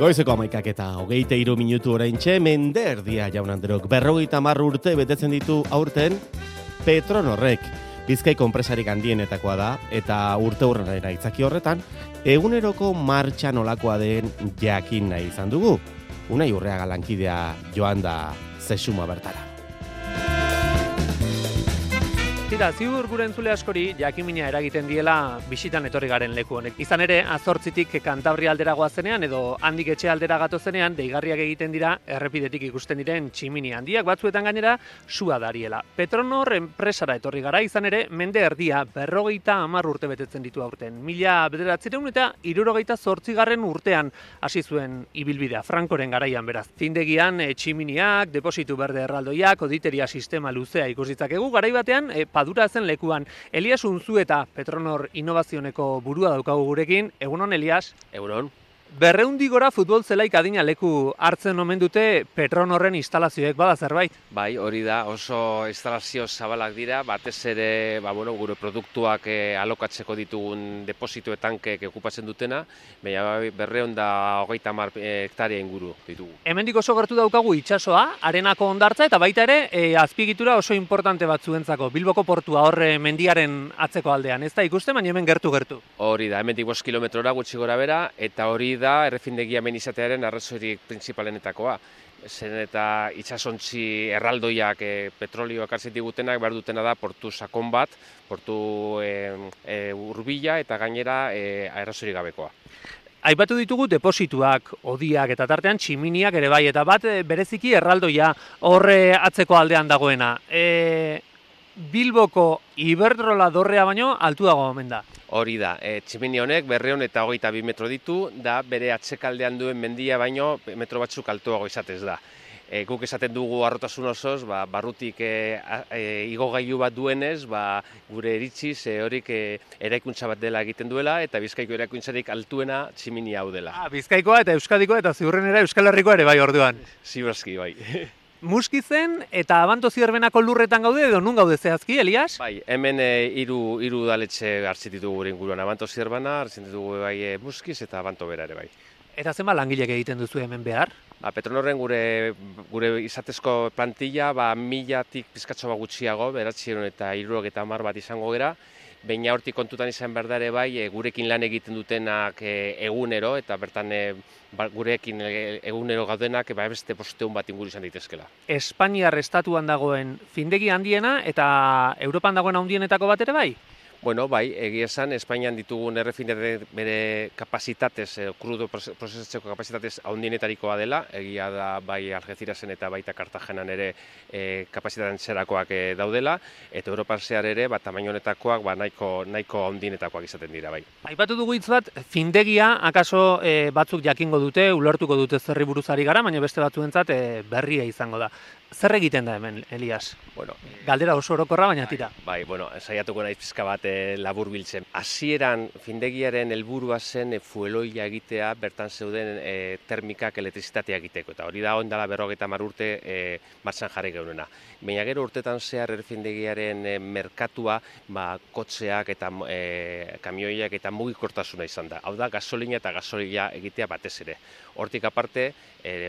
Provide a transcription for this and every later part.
Goizeko 11:23 oraintxe, mende erdia jaun Andreok. 50 urte betetzen ditu aurten Petronorrek. Bizkaiko enpresarik handienetakoa da, eta urte hurrenera itzaki horretan, eguneroko martxa nolakoa den jakin nahi izan dugu. Unai Urreaga lankidea joan da Zesuma bertara. Tira, ziur gure entzule askori jakimina eragiten diela bisitan etorri garen leku honek. Izan ere, Azortzitik Kantabria aldera goazenean edo handik etxe aldera gatozenean deigarriak egiten dira errepidetik ikusten diren tximini handiak, batzuetan gainera sua dariela. Petronor enpresara etorri gara, izan ere, mende erdia 50 urte betetzen ditu aurten. 1978 urtean hasi zuen ibilbidea, Frankoren garaian beraz. Findegian tximiniak, depositu berde erraldoiak, oditeria sistema luzea ikusitzakegu, garai batean Padura zen lekuan. Elias Unzueta, Petronor Innovazioneko burua daukagu gurekin. Egunon, Elias? Egunon. 200 gora futbol zelaik adina leku hartzen omen dute Petronorren instalazioek, bada zerbait? Bai, hori da, oso instalazio zabalak dira, batez ere gure produktuak alokatzeko ditugun deposito tankek okupatzen dutena, baina 230 hektarea inguru ditugu. Hemendik oso gertu daukagu itsasoa, arenako hondartza eta baita ere azpiegitura oso importante batzuentzako, Bilboko portua horre mendiaren atzeko aldean, ez da ikusten, baina hemen gertu. Hori da, hemendik 5 kilometrora gutxi gora bera, eta hori da errefindegia hemen izatearen arrazoirik prinsipalenetakoa. Zen eta itsasontzi erraldoiak petrolioak hartzen digutenak behar dutena da portu sakon bat, portu hurbila eta gainera arrazoirik gabekoa. Aipatu ditugu deposituak, odiak eta tartean tximiniak ere bai, eta bat bereziki erraldoia horre atzeko aldean dagoena. Bilboko Iberdrola dorrea baino altuago omen da. Hori da, tximini honek 222 metro ditu, da bere atzekaldean duen mendia baino metro batzuk altuago izatez da. Guk esaten dugu harrotasun osoz, barrutik igogailu bat duenez, gure iritziz horik eraikuntza bat dela egiten duela, eta Bizkaiko eraikuntzarik altuena tximini hau dela. Bizkaikoa eta Euskadikoa eta ziurrenera Euskal Herrikoa ere bai orduan. Ziurazki, bai. Muskizen eta Abanto Zierbenako lurretan gaude edo nun gaude zehazki, Elias? Bai, hemen hiru udaletxe hartzen ditugu gure inguruan, Abanto Zierbana, hartzen ditugu bai Muskiz eta Abanto bera ere bai. Eta zenbat langilek egiten duzu hemen behar? Petronorren gure izatezko plantilla 1000tik pizkatxo gutxiago, 970 bat izango gera, baina hortik kontutan izan behar da ere bai, gurekin lan egiten dutenak egunero, eta bertan gurekin egunero gaudenak beste posteun bat inguru izan daitezkela. Espainiar estatuan dagoen findegi handiena eta Europan dagoen handienetako bat ere bai? Bueno, bai, egia esan, Espainian ditugun errefinerik bere kapasitatez, krudo prozesatzeko kapasitatez handienetarikoa dela, egia da bai Algecirasen eta baita Kartagenan ere kapasitatean zerakoak daudela, eta Europan zehar ere, tamaino honetakoak nahiko handienetakoak izaten dira, bai. Aipatu dugu hitz bat, findegia, akaso batzuk jakingo dute, ulertuko dute zerri buruzari gara, baina beste batzuentzat berria izango da. Zer egiten da hemen, Elias? Bueno, galdera oso orokorra, baina tira. Bai, saiatuko naiz pizka bat labur biltzen. Hasieran findegiaren helburua zen fueloia egitea, bertan zeuden termikak elektrizitatea egiteko. Eta hori da ondala 50 urte martxan jarri geunena. Baina gero urtetan zehar errefindegiaren merkatua kotxeak eta kamioiak eta mugikortasuna izan da. Hau da, gasolina eta gasolina egitea batez ere. Hortik aparte,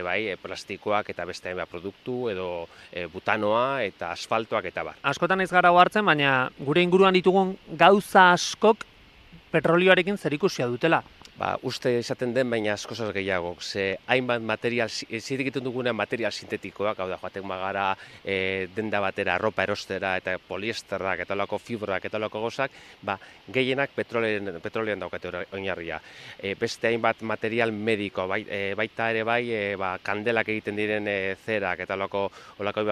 bai, plastikoak eta beste hainbat produktu edo butanoa eta asfaltoak eta bar. Askotan ez gara hartzen, baina gure inguruan ditugun gauza askok petrolioarekin zerikusia dutela. Uste izaten den, baina askozaz gehiago. Ze hainbat material, egiten dugunean material sintetikoak, hau da, joaten magara denda batera, arropa erostera eta poliesterrak eta olako fibrak eta olako gozak, gehienak petrolean daukate oinarria. Beste hainbat material mediko, baita ere bai, kandelak egiten diren zerak eta olako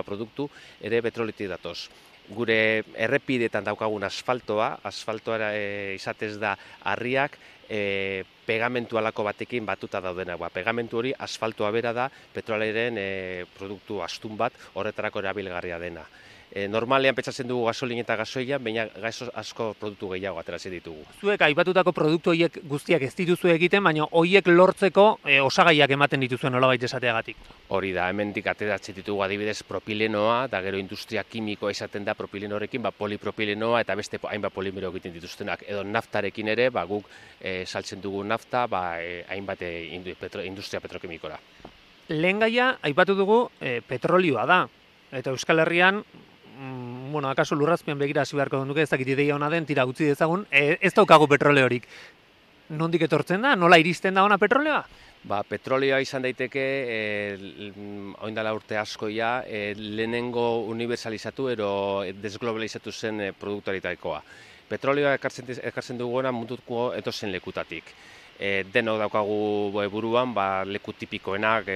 produktu, ere petroletik datoz. Gure errepidetan daukagun asfaltoa izatez da harriak, pegamentu alako batekin batuta daudenak. Pegamentu hori asfaltoa bera da petrolaren produktu astun bat horretarako erabilgarria dena. normalean pentsatzen dugu gasolina eta gasoila, baina asko produktu gehiago ateratzen ditugu. Zuek aipatutako produktu horiek guztiak ez dituzue egiten, baina horiek lortzeko osagaiak ematen dituzuen nolabait esateagatik. Hori da, hemendik ateratzen ditugu adibidez propilenoa, da gero industria kimikoa izaten da propilenorekin, polipropilenoa eta beste hainbat polimero egiten dituztenak. Edo naftarekin ere, guk saltzen dugu nafta, hainbat industria petrokimikora. Lehen gaia, aipatu dugu, petrolioa da. Eta Euskal Herrian, akaso lurrazpian begira hasi beharko duke, ez dakit ideia ona den, tira utzi dezagun, ez daukagu petroleorik. Nondik etortzen da? Nola iristen da ona petroleoa? Petrolioa izan daiteke, oindala urte askoia, lehenengo universalizatu ero desglobalizatu zen produktuaritakoa. Petrolioa ekartzen duguna munduko edozen lekutatik. Denok daukagu buruan, leku tipikoenak,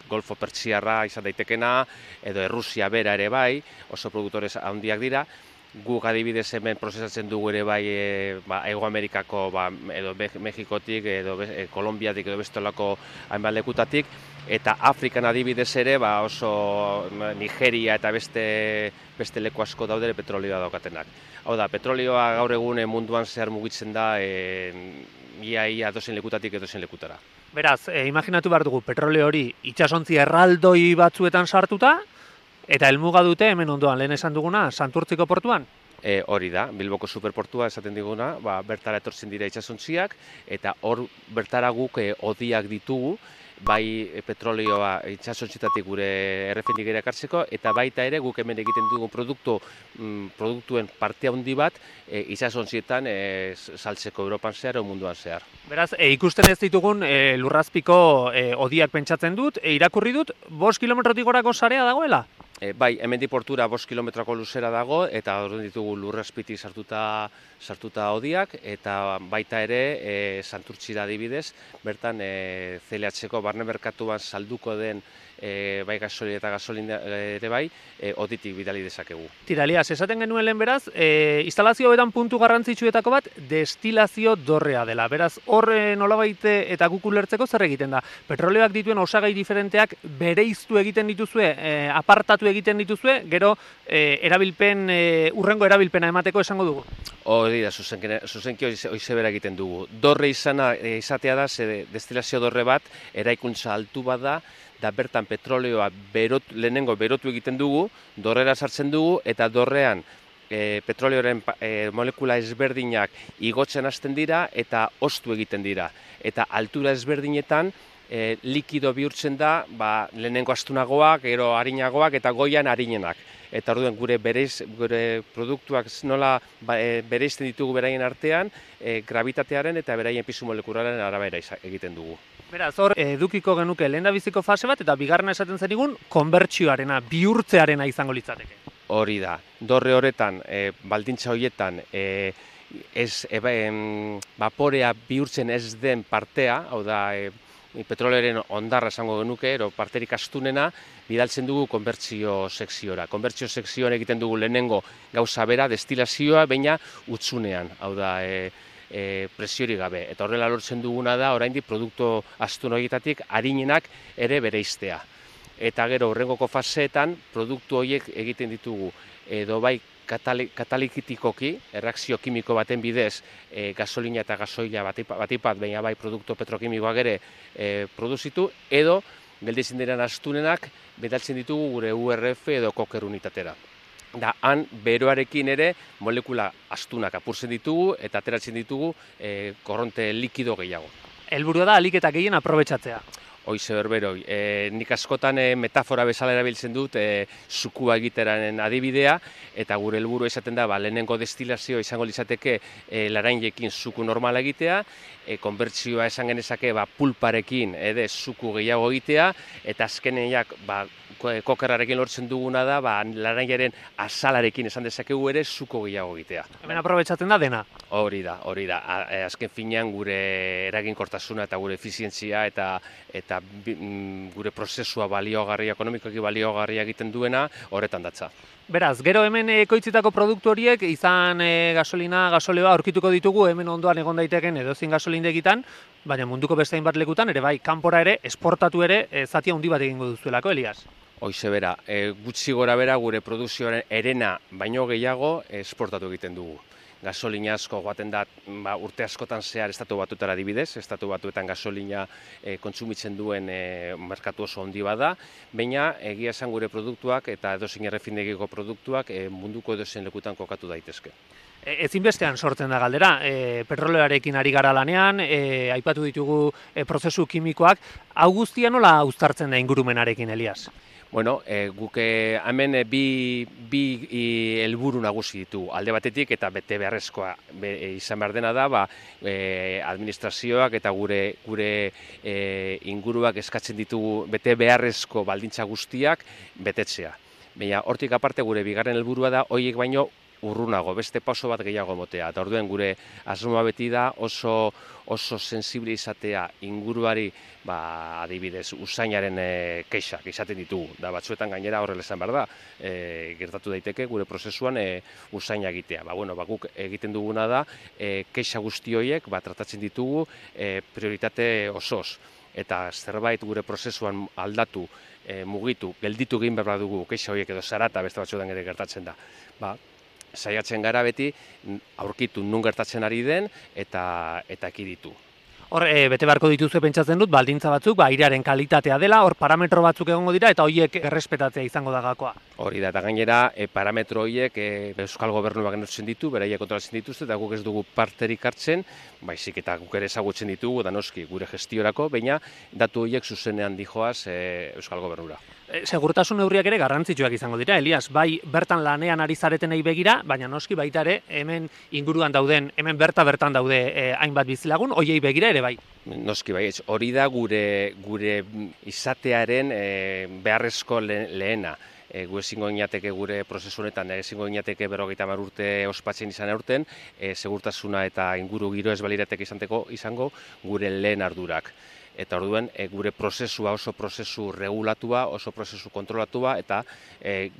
Golfo Pertsiarra izan daitekena, edo Errusia bera ere bai, oso produktores handiak dira. Guk adibidez hemen prozesatzen dugu ere bai Hego Amerikako edo Mexikotik, edo Kolombiatik, edo bestolako hainbat lekutatik, eta Afrikan adibidez ere oso Nigeria eta beste leku asko daude petrolioa daukatenak. Hau da, petrolioa gaur egun munduan zehar mugitzen da ia dozen lekutatik edozen lekutara. Beraz, imaginatu behar dugu petroleo hori itsasontzi erraldoi batzuetan sartuta, eta helmuga dute hemen ondoan, lehen esan duguna, Santurtziko portuan? Hori da, Bilboko superportua esaten diguna, bertara etortzen dira itsasontziak, eta hor bertara guk odiak ditugu, bai petrolioa itsasontzietatik gure errefinigera ekartzeko, eta baita ere guk hemen egiten dugu produktuen parte handi bat itsasontzietan saltzeko Europan zehar o munduan zehar. Beraz, ikusten ez ditugun lurrazpiko odiak pentsatzen dut, irakurri dut, 5 kilometrotik gorako sarea dagoela? Bai, hemendik portura 5 kilometroko luzera dago, eta hor ditugu lurrazpitik sartuta odiak, eta baita ere Santurtzira adibidez, bertan CLH-ko barne merkatuan salduko den bai gasolina eta gasolina ere bai, oditik bidali dezakegu. Tira, Elias, esaten genuen lehen beraz, instalazio hobetan puntu garrantzitsuetako bat destilazio dorrea dela. Beraz, hor nolabait eta guk ulertzeko zer egiten da? Petroleoak dituen osagai diferenteak bereiztu egiten dituzue, apartatu egiten dituzue, gero urrengo erabilpena emateko esango dugu? Hori da, zuzenki hoize bera egiten dugu. Dorre izatea da, destilazio dorre bat, eraikuntza altu bat da bertan petroleoa lehenengo berotu egiten dugu, dorrera sartzen dugu, eta dorrean petroleoren molekula ezberdinak igotzen hasten dira eta oztu egiten dira. Eta altura ezberdinetan likido bihurtzen da lehenengo astunagoak, gero arinagoak eta goian arinenak. Eta orduan gure produktuak nola bereizten ditugu beraien artean, gravitatearen eta beraien pisu molekularen arabera egiten dugu. Beraz, hor edukiko genuke lehendabiziko fase bat eta bigarrena esaten zenigun konbertsioarena, bihurtzearena izango litzateke. Hori da, dorre horretan, baldintza horietan, vaporea bihurtzen ez den partea, hau da, petrolearen ondarra esango genuke, parterik astunena, bidaltzen dugu konbertsio sekziora. Konbertsio sekzioan egiten dugu lehenengo gauza bera, destilazioa, baina utzunean, hau da, presiori gabe. Eta horrela lortzen duguna da, oraindik produktu astun horietatik harinenak ere bereiztea. Eta gero, horrengoko faseetan, produktu horiek egiten ditugu, edo bai katalikitikoki, erreakzio kimiko baten bidez, gasolina eta gasoila batipat, baina bai produktu petrokimikoak ere produzitu, edo gelditzen diren astunenak bidaltzen ditugu gure URF edo koker unitatera. Da, han beroarekin ere molekula astunak apurtzen ditugu eta ateratzen ditugu korronte likido gehiago. Helburua da ahalik eta gehien aprobetxatzea. Hoize berberoi. Nik askotan metafora bezala erabiltzen dut zukua egiteraren adibidea, eta gure helburu esaten da lehenengo destilazio izango litzateke larainekin zuku normala egitea, konbertsioa esan genezake pulparekin zuku gehiago egitea, eta azkeneak kokerrarekin lortzen duguna da larainaren azalarekin esan dezakegu ere zuko gehiago egitea. Hemen aprobetxatzen da dena? Hori da. Azken finean gure eraginkortasuna eta gure efizientzia eta gure prozesua baliogarria, ekonomikoki baliogarria egiten duena horretan datza. Beraz, gero hemen ekoitzitako produktu horiek, izan gasolina, gasoleoa aurkituko ditugu hemen ondoan egon daiteken edozein gasolindegitan, baina munduko beste hainbat lekutan ere bai, kanpora ere, esportatu ere, zati handi bat egingo duzuelako, Elias. Hoize bera, gutxi gora bera gure produkzioaren herena baino gehiago esportatu egiten dugu. Gasolina asko joaten da urte askotan zehar estatu batuetara adibidez, estatu batuetan gasolina kontsumitzen duen merkatu oso handi bada, baina egia esan gure produktuak eta edozein errefindegiko produktuak munduko edozein lekutan kokatu daitezke. Ezinbestean sortzen da galdera, petroleoarekin ari gara lanean, aipatu ditugu prozesu kimikoak, hau guztia nola uztartzen da ingurumenarekin, Elias? Bueno, guk hemen bi helburu nagusi ditu. Alde batetik eta bete beharrezkoa izan behar dena da, administrazioak eta gure inguruak eskatzen ditugu bete beharrezko baldintza guztiak betetzea. Baina hortik aparte gure bigarren helburua da horiek baino urrunago, beste pauso bat gehiago motea. Eta orduen gure asmoa beti da oso sensible izatea inguruari, adibidez, usainaren kexak izaten ditugu. Da batzuetan gainera horrela esan behar da, gertatu daiteke gure prozesuan usaina egitea. Guk egiten duguna da, kexa guzti horiek tratatzen ditugu prioritate osoz. Eta zerbait gure prozesuan aldatu, mugitu, gelditu egin behar dugu kexa horiek edo zarata beste batzuetan ere gertatzen da. Saiatzen gara beti aurkitu nun gertatzen ari den eta ekiditu. Hor, bete beharko dituzue pentsatzen dut, baldintza batzuk, airearen kalitatea dela, hor parametro batzuk egongo dira eta horiek errespetatzea izango da gakoa. Hori da, eta gainera parametro horiek Euskal Gobernuak neurtzen ditu, beraiek kontrolatzen dituzte, eta guk ez dugu parterik hartzen, baizik eta guk ere ezagutzen ditugu, da noski gure gestiorako, baina datu horiek zuzenean dijoaz Euskal Gobernura. Segurtasun neurriak ere garrantzitsuak izango dira, Elias, bai bertan lanean ari zaretenei begira, baina noski baita ere hemen inguruan dauden, hemen bertan daude hainbat bizilagun, hoiei begira ere bai. Noski bai, hori da gure izatearen beharrezko lehena. Gu ezingo inateke gure prozesu honetan, ezingo inateke 50 urte ospatzen izan aurten, segurtasuna eta inguru giro ez balirateke izango gure lehen ardurak. Eta orduen gure prozesua oso prozesu regulatua, oso prozesu kontrolatua eta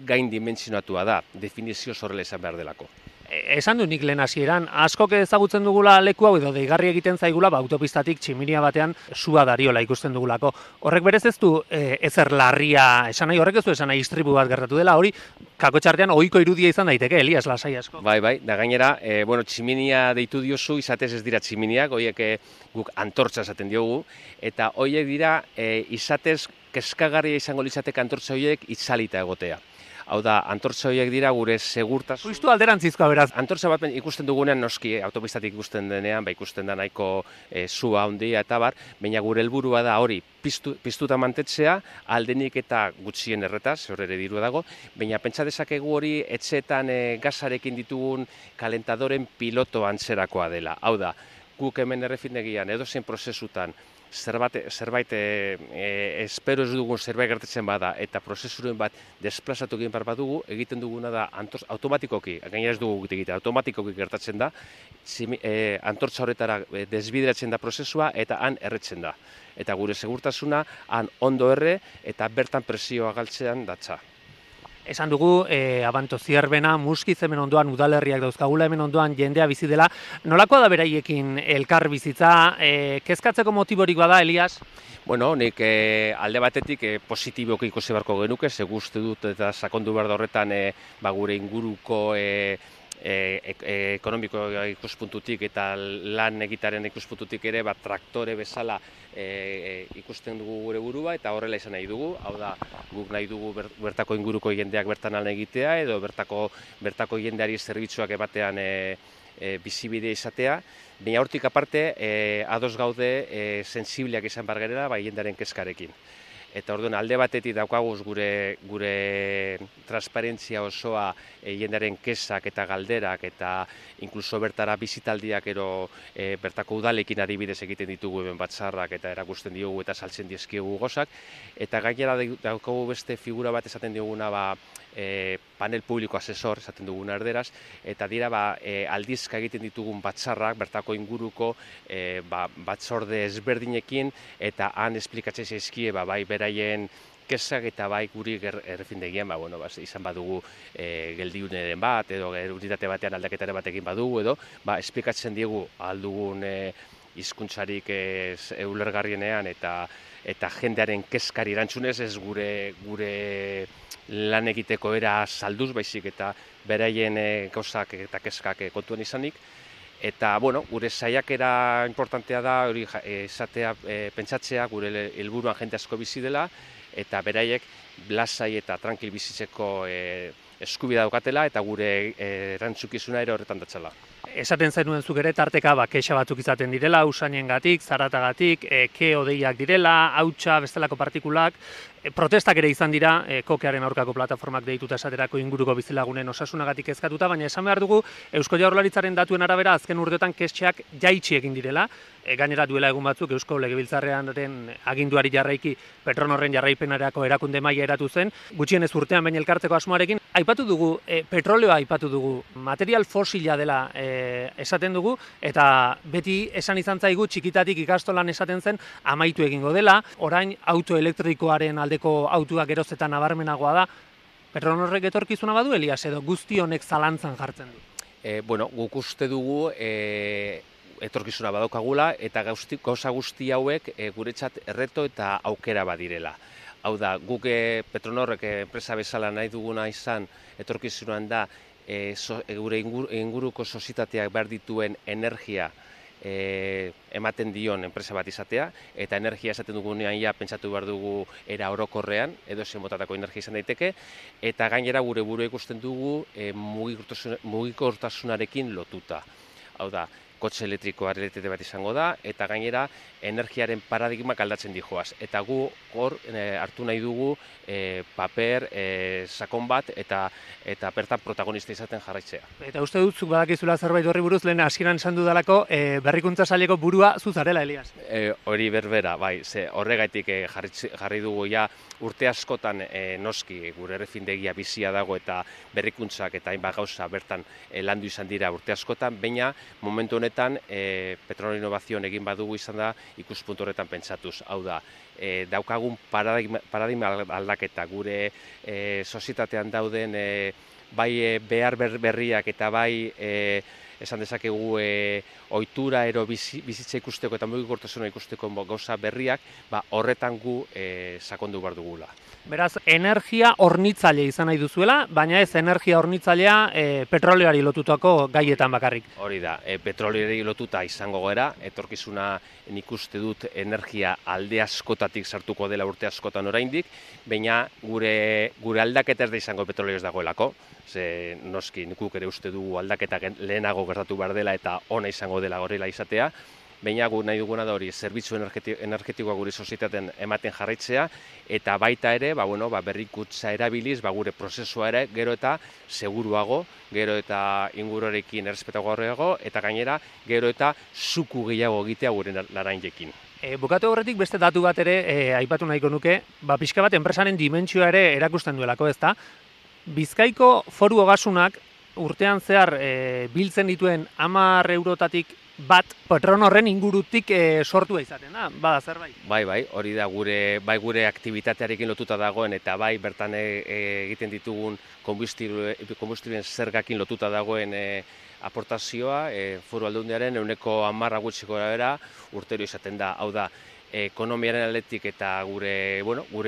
gain dimentsionatua da, definizio horrela izan behar delako. Esan du nik lehen hasieran, askok ezagutzen dugula leku hau edo deigarri egiten zaigula, autopistatik tximinia batean sua dariola ikusten dugulako. Horrek berez ez du ezer larria esan nahi, horrek ez du esan nahi istripu bat gertatu dela, hori kakotxartean ohiko irudia izan daiteke, Elias, lasai asko. Bai, da gainera, tximinia deitu diozu, izatez ez dira tximiniak, horiek guk antortza esaten diogu, eta horiek dira izatez kezkagarria izango litzateke antortza horiek itzalita egotea. Hau da, antortza horiek dira gure segurtasun. Justu alderantzizkoa beraz. Antortza bat ikusten dugunean noski, autopistatik ikusten denean, ikusten da nahiko sua handia eta bar, baina gure helburua da hori piztuta mantetzea, aldenik eta gutxien erretaz, hor ere dirua dago, baina pentsa dezakegu hori etxeetan gasarekin ditugun kalentadoren piloto antzerakoa dela. Hau da, guk hemen errefindegian edozein prozesutan zerbait espero ez dugun zerbait gertatzen bada eta prozesuren bat desplazatu egin behar badugu, egiten duguna da automatikoki, gainera ez dugu egiten, automatikoki gertatzen da, antortza horretara desbideratzen da prozesua eta han erretzen da. Eta gure segurtasuna han ondo erre eta bertan presioa galtzean datza. Esan dugu, Abanto Zierbena, Muskiz hemen ondoan udalerriak dauzkagula, hemen ondoan jendea bizi dela. Nolakoa da beraiekin elkar bizitza, kezkatzeko motiborik bada, Elias? Bueno, nik alde batetik positiboki ikusi beharko genuke, ze uste dut eta sakondu behar da horretan gure inguruko ekonomiko ikuspuntutik eta lan egitaren ikuspuntutik ere traktore bezala ikusten dugu gure burua eta horrela izan nahi dugu. Hau da, guk nahi dugu bertako inguruko jendeak bertan lan egitea edo bertako jendeari zerbitzuak ematean bizibide izatea. Baina hortik aparte, ados gaude sensibleak izan behar garela jendearen kezkarekin. Eta orduan alde batetik daukaguz gure transparentzia osoa jendearen kezak eta galderak eta inkluso bertara bizitaldiak ero bertako udalekin adibidez egiten ditugu hemen batzarrak eta erakusten diogu eta saltzen dizkiegu gozak. Eta gainera daukagu beste figura bat esaten dioguna panel publiko asesor esaten duguna erderaz, eta dira aldizka egiten ditugun batzarrak bertako inguruko batzorde ezberdinekin eta han esplikatzen zaizkie bai beraien kesak eta bai guri errefindegian, izan badugu geldiuneren bat, edo unitate batean aldaketaren bat egin badugu, edo esplikatzen diegu aldugun hizkuntzarik ulergarrienean eta jendearen kezkari erantzunez, ez gure lan egiteko era salduz baizik eta beraien gauzak eta kezkak kontuan izanik. Eta, gure saiakera importantea da, hori esatea, pentsatzea, gure helburuan jende asko bizi dela, eta beraiek lasai eta tranquil bizitzeko eskubidea daukatela, eta gure erantzukizuna ere horretan datzala. Esaten zenuen zuk ere tarteka kexa batzuk izaten direla, usainengatik, zaratagatik, ke-odeiak direla, hautsa, bestelako partikulak, protestak ere izan dira, kokearen aurkako plataformak deituta esaterako inguruko bizilagunen osasunagatik kezkatuta, baina esan behar dugu Eusko Jaurlaritzaren datuen arabera azken urteotan kescheak jaitsi egin direla, gainera duela egun batzuk Eusko Legebiltzarraren aginduari jarraiki Petronorren jarraipenarako erakunde maila eratu zen, gutxienez urtean baina elkartzeko asmoarekin, aipatu dugu, petroleoa aipatu dugu, material fosila dela esaten dugu, eta beti esan izan zaigu txikitatik ikastolan esaten zen amaitu egingo dela, orain auto elektrikoaren aldeko autuak gerozetan nabarmenagoa da. Petronorrek etorkizuna badu, Elias, edo guzti honek zalantzan jartzen du? Guk uste dugu etorkizuna badaukagula eta gauza guzti hauek guretzat erreto eta aukera badirela. Hau da, guk Petronorrek enpresa bezala nahi duguna izan etorkizunan da gure inguruko sozietateak behar dituen energia ematen dion enpresa bat izatea, eta energia esaten dugunean pentsatu behar dugu era orokorrean, edo zen motatako energia izan daiteke, eta gainera gure burua ikusten dugu mugikortasunarekin lotuta. Hau da, kotxe elektrikoa realitate bat izango da, eta gainera energiaren paradigmak aldatzen dijoaz. Eta gu hor hartu nahi dugu paper sakon bat eta bertan protagonista izaten jarraitzea. Eta uste dut, zuk badakizula zerbait horri buruz, lehen hasieran esan dudalako berrikuntza saileko burua zuzarela, Elias. Hori berbera, bai, horregaitik jarri dugu urte askotan noski gure errefindegia bizia dago eta berrikuntzak eta hainbat gauza bertan landu izan dira urte askotan, baina momentu honetan Petronor Innovazioan egin badugu izan da ikuspuntu horretan pentsatuz. Hau da, daukagun paradigma aldaketa gure sozietatean dauden bai behar berriak eta bai esan dezakegu ohitura ero bizitza ikusteko eta mugikortasuna ikusteko gauza berriak, horretan gu sakondu behar dugula. Beraz, energia hornitzaile izan nahi duzuela, baina ez energia hornitzailea petroleoari lotutako gaietan bakarrik. Hori da, petroleoari lotuta izango gara, etorkizuna nik uste dut energia alde askotatik sartuko dela urte askotan oraindik, baina gure aldaketa ez da izango petroleoz dagoelako, ze noski nikuk ere uste dugu aldaketa lehenago gertatu behar dela eta ona izango dela horrela izatea, baina gu nahi duguna da hori zerbitzu energetikoa gure sozietatean ematen jarraitzea, eta baita ere berrikuntza erabiliz gure prozesua ere gero eta seguruago, gero eta inguruarekin errespetagoago, eta gainera gero eta zuku gehiago egitea gure larainekin. Bukatu horretik beste datu bat ere aipatu nahiko nuke, pixka bat enpresaren dimentsioa ere erakusten duelako, ezta? Bizkaiko Foru Ogasunak urtean zehar biltzen dituen 10 eurotatik bat Petronorren ingurutik sortua izaten da, bada zerbait? Bai, hori da gure aktibitatearekin lotuta dagoen eta bai bertan egiten ditugun konbustibluen zergakin lotuta dagoen aportazioa Foru Aldundiaren 10% gutxiko era urtero izaten da. Hau da, ekonomiaren aldetik eta gure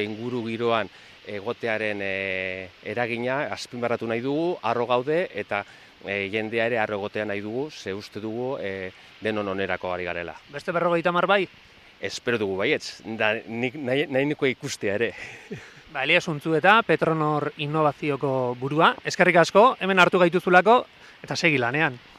inguru giroan egotearen eragina azpimarratu nahi dugu, harro gaude eta jendea ere harro egotea nahi dugu, ze uste dugu denon onerako ari garela. Beste 50 bai? Espero dugu baietz, nahi niko ikustea ere. Elias Untzueta, Petronor Innovazioko burua, eskerrik asko, hemen hartu gaituzulako eta segi lanean.